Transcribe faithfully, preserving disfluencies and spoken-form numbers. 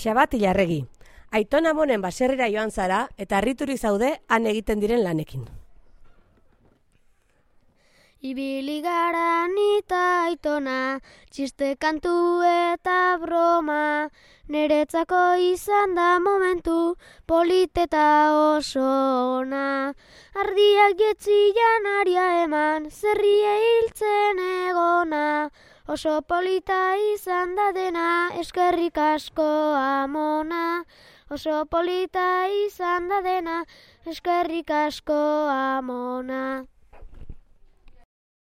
Xabat Ilarregi, Aiton Amonen baserrira joan zara eta harriturik zaude han egiten diren lanekin. Ibili gara nita Aitona, txiste kantu eta broma, neretzako izan da momentu politeta oso ona. Ardiak jetzian aria eman, zerrie hiltzen egona, oso polita izan da dena, eskerrik asko Amona. Oso polita izan da dena, eskerrik asko Amona.